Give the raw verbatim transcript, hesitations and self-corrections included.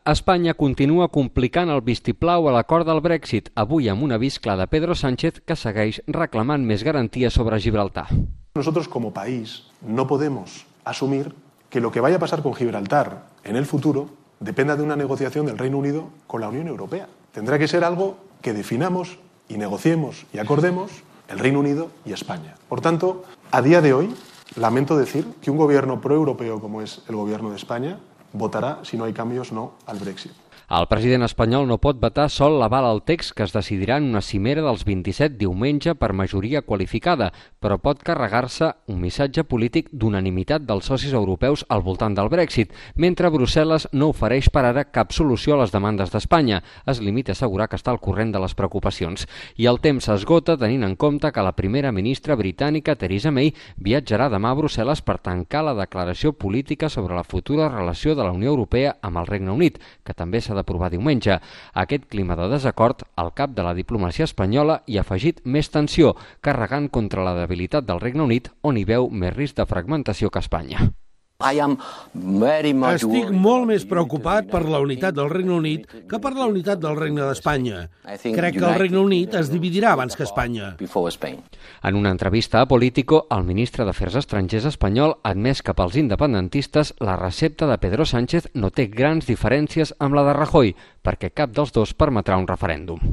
Espanya continua complicant el vistiplau a l'acord del Brexit, avui amb un avís clar de Pedro Sánchez que segueix reclamant més garanties sobre Gibraltar. Nosotros como país no podemos asumir que lo que vaya a pasar con Gibraltar en el futuro dependa de una negociación del Reino Unido con la Unión Europea. Tendrá que ser algo que definamos y negociemos y acordemos el Reino Unido y España. Por tanto, a día de hoy, lamento decir que un gobierno proeuropeo como es el gobierno de España votarà, si no hay cambios, no al Brexit. El president espanyol no pot vetar sol l'aval al text que es decidirà en una cimera dels vint-i-set diumenge per majoria qualificada, però pot carregar-se un missatge polític d'unanimitat dels socis europeus al voltant del Brexit, mentre Brussel·les no ofereix per ara cap solució a les demandes d'Espanya. Es limita a assegurar que està al corrent de les preocupacions. I el temps s'esgota tenint en compte que la primera ministra britànica, Theresa May, viatjarà demà a Brussel·les per tancar la declaració política sobre la futura relació de la Unió Europea amb el Regne Unit, que també s'ha d'aprovar diumenge. Aquest clima de desacord, al cap de la diplomàcia espanyola, hi ha afegit més tensió, carregant contra la debilitat del Regne Unit, on hi veu més risc de fragmentació que Espanya. Estic molt més preocupat per la unitat del Regne Unit que per la unitat del Regne d'Espanya. Crec que el Regne Unit es dividirà abans que Espanya. En una entrevista a Político, el ministre d'Afers Estrangers espanyol ha admès que pels independentistes la recepta de Pedro Sánchez no té grans diferències amb la de Rajoy, perquè cap dels dos permetrà un referèndum.